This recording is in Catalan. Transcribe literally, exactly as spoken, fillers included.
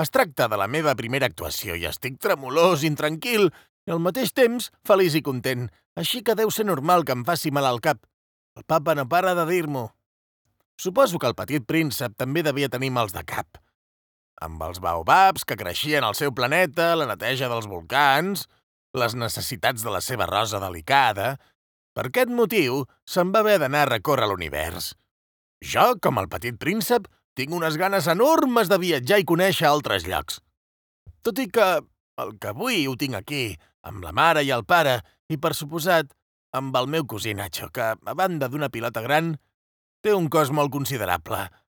Es tracta de la meva primera actuació i estic tremolós, intranquil i al mateix temps feliç i content, així que deu ser normal que em faci mal al cap. El papa no para de dir-m'ho. Suposo que el petit príncep també devia tenir mals de cap. Amb els baobabs que creixien al seu planeta, la neteja dels volcans, les necessitats de la seva rosa delicada... Per aquest motiu, se'n va haver d'anar a recórrer l'univers. Jo, com el petit príncep, tinc unes ganes enormes de viatjar i conèixer altres llocs. Tot i que el que avui ho tinc aquí, amb la mare i el pare, i per suposat, amb el meu cosí Nacho, que, a banda d'una pilota gran, té un cos molt considerable.